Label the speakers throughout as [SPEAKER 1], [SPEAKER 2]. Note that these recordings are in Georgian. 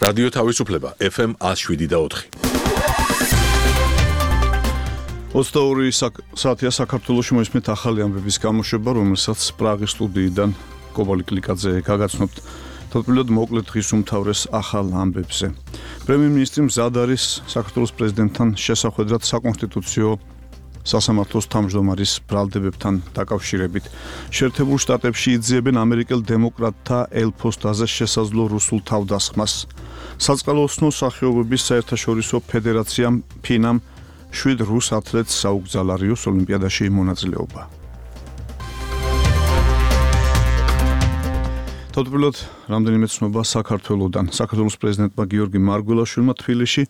[SPEAKER 1] რადიო თავისუფლება FM 107.4.
[SPEAKER 2] 22 საათია საქართველოში მოისმენთ ახალი ამბების გამოშვება, რომელსაც პრაღის სტუდიიდან კობალი კლიკაძე გაგაცნობთ. თავდაპირველად მოკლედ დღის უმთავრეს ახალ ამბებზე. პრემიერ-მინისტრი მზად არის საქართველოს პრეზიდენტთან შესახვედრად საკონსტიტუციო სასამართლოს თავმჯდომარის ბრალდებებთან დაკავშირებით. შეერთებულ შტატებში იძიებენ ამერიკელ დემოკრატთა ელ-ფოსტაზე შესაძლო რუსულ თავდასხმას. საწყალოსნო სახეობების საერთაშორისო ფედერაციამ ფინამ 7 რუს ათლეტს საუგზალა რიოს ოლიმპიადაში მონაწილეობა. თავდაპირველად რამდენიმე ცნობა საქართველოდან. საქართველოს პრეზიდენტმა გიორგი მარგველაშვილმა თბილისში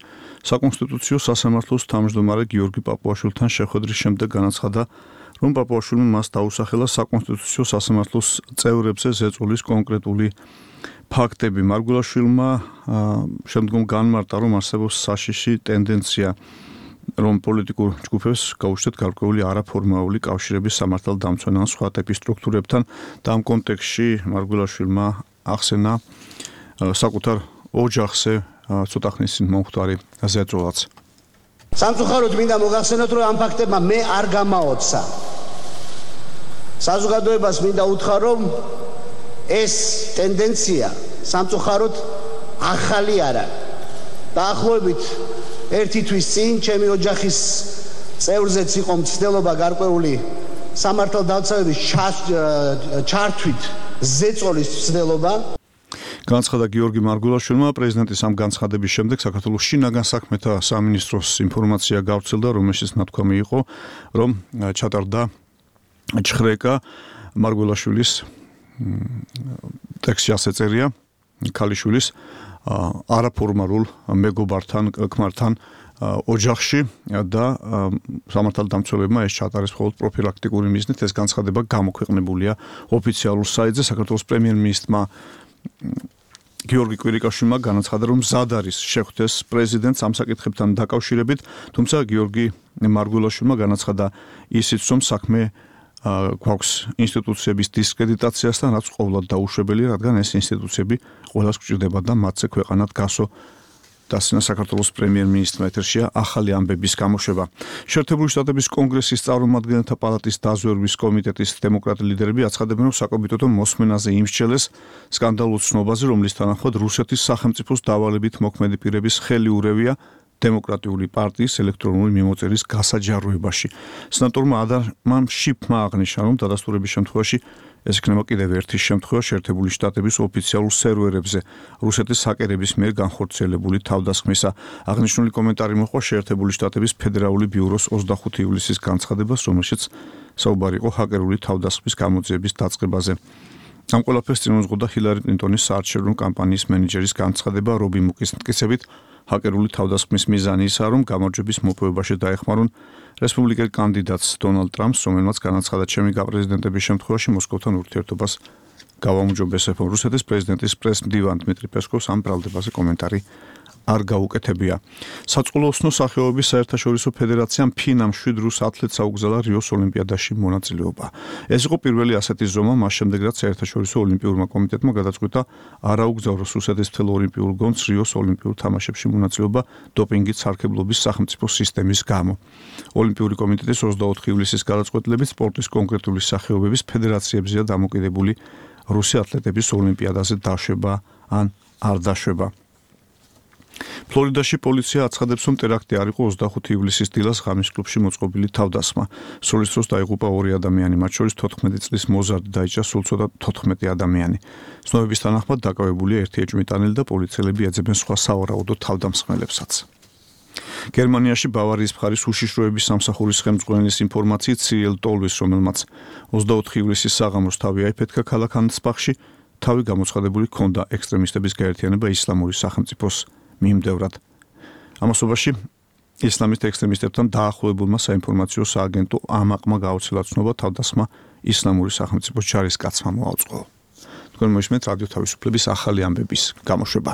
[SPEAKER 2] საკონსტიტუციო სასამართლოს თავმჯდომარე გიორგი პაპუაშვილთან შეხვედრის შემდეგ განაცხადა, რომ პაპუაშვილმა მას დაუსახელა საკონსტიტუციო სასამართლოს წევრებზე ზეწოლის კონკრეტული ფაქტები. მარგველაშვილმა შემდგომ განმარტა, რომ არსებობს საშიში ტენდენცია, რომ პოლიტიკურ ჯგუფებს გაუჩნდათ გარკვეული არაფორმალური კავშირები სამართალდამცვენ ან სხვა ტიპის სტრუქტურებთან და ამ კონტექსტში მარგველაშვილმა ახსენა საკუთარ ოჯახზე ცოტა ხნის წინ მომხდარი ზეწოლაც.
[SPEAKER 3] სამწუხაროდ მინდა მოგახსენოთ, რომ ამ ფაქტებმა მე არ გამაოცა. საზოგადოებას მინდა უთხრა, რომ ეს ტენდენცია სამწუხაროდ ახალი არა. დაახლოებით ერთი თვის წინ ჩემი ოჯახის წევრზეც იყო მცდელობა გარკვეული სამართალდამცავების ჩართვით ზეწოლის მცდელობა.
[SPEAKER 2] განაცხადა გიორგი მარგველაშვილმა. პრეზიდენტის ამ განცხადების შემდეგ საქართველოს შინაგან საქმეთა სამინისტროს ინფორმაცია გავრცელდა, რომელშიც ნათქვამი იყო, რომ ჩატარდა ჩხრეკა მარგველაშვილის ტექსტში ასე წერია ქალიშვილის არაფორმალურ მეგობართან, ქმართან ოჯახში და სამართალდამცველებმა ეს ჩატარეს მხოლოდ პროფილაქტიკური მიზნით. ეს განცხადება გამოქვეყნებულია ოფიციალურ საიტზე. საქართველოს პრემიერ-მინისტრმა გიორგი კვირიკაშვილმა განაცხადა, რომ მზად არის შეხვდეს პრეზიდენტს ამ საკითხებთან დაკავშირებით, თუმცა გიორგი მარგველაშვილმა განაცხადა ისიც, რომ საქმე გვაქვს ინსტიტუციების დისკრედიტაციასთან, რაც ყოვლად დაუშვებელია, რადგან ეს ინსტიტუციები ყველას გვჭირდება და მათზე ქვეყანად გასო. დასცინა საქართველოს პრემიერ-მინისტრმა ეთერშია ახალი ამბების გამოშვება. შეერთებული შტატების კონგრესის წარმომადგენელთა პალატის დაზვერვის კომიტეტის დემოკრატი ლიდერები აცხადებენ, რომ საკომიტეტო მოსმენაზე იმსჯელეს სკანდალურ ცნობაზე, რომლის თანახმად რუსეთის სახელმწიფოს დავალებით მოქმედი პირების ხელი ურევია დემოკრატიული პარტიის ელექტრონული მიმოწერის გასაჯაროებაში. სენატორმა ადამამ შიფმა აღნიშნა, რომ დადასტურების შემთხვევაში ეს იქნება კიდევ ერთი შემთხვევა შეერთებული შტატების ოფიციალურ სერვერებზე რუსეთის ჰაკერების მიერ განხორციელებული თავდასხმისა. აღნიშნული კომენტარი მოჰყვა შეერთებული შტატების ფედერალური ბიუროს 25 ივლისის განცხადებას, რომელშიც საუბარი იყო ჰაკერული თავდასხმის გამოძიების დაწყებაზე. ამ ყველაფერს წინ უძღოდა ჰილარი კლინტონის საარჩევნო კამპანიის მენეჯერის განცხადება რობი მუკის მტკიცებით. ჰაკერული თავდასხმის მიზანი ისაა, რომ გამარჯვების მოპოვებაში დაეხმარონ რესპუბლიკელ კანდიდატს დონალდ ტრამპს, რომელმაც განაცხადა, ჩემი გაპრეზიდენტების შემთხვევაში მოსკოვთან ურთიერთობას გავაუმჯობესებ. რუსეთის პრეზიდენტის პრეს-მდივან დმიტრი პესკოვს ამ ბრალდებაზე კომენტარი არ გაუკეთებია. საწყალოსნო სახეობების საერთაშორისო ფედერაციამ ფინამ 7 რუს ათლეტს აუგზალა რიოს ოლიმპიადაში მონაწილეობა. ეს იყო პირველი ასეთი ზომა, მას შემდეგ რაც საერთაშორისო ოლიმპიურმა კომიტეტმა გადაწყვიტა არ აუგზავნოს რუსეთის მთელ ოლიმპიურ გუნდს რიოს ოლიმპიურ თამაშებში მონაწილეობა დოპინგით სარქებლობის სახელმწიფო სისტემის გამო. ოლიმპიური კომიტეტის 24 ივლისის გადაწყვეტილებით სპორტის კონკრეტული სახეობების ფედერაციებზეა დამოკიდებული რუსი ათლეტების ოლიმპიადაზე დაშვება ან არ დაშვება. ფლორიდაში პოლიცია აცხადებს, რომ ტერაქტი არ იყო 25 ივლისის დილას ღამის კლუბში მოწყობილი თავდასხმა. სროლის დროს დაიღუპა 2 ადამიანი, მათ შორის 14 წლის მოზარდი დაიჭრა სულ ცოტა 14 ადამიანი. ცნობების თანახმად დაკავებულია ერთი ეჭვმიტანილი და პოლიციელები ეძებენ სხვა სავარაუდო თავდამსხმელებსაც. გერმანიაში ბავარიის მხარის უშიშროების სამსახურის ხელმძღვანელის ინფორმაციით სირიელ ტოლვის, რომელმაც 24 ივლისის საღამოს თავი აიფეთქა ქალაქ ანსბახში, თავი გამოცხადებული ჰქონდა ექსტრემისტების გაერთიანება ისლამური სახელმწიფოს მიმდევრად. ამასობაში ისლამისტ ექსტრემისტებთან დაახლოებულმა საინფორმაციო სააგენტო ამაყმა გაუცილა ცნობა თავდასხმა ისლამური სახელმწიფოს ჯარისკაცმა მოაუწყო. თქვენ მოისმენთ რადიო თავისუფლების ახალი ამბების გამოშვება.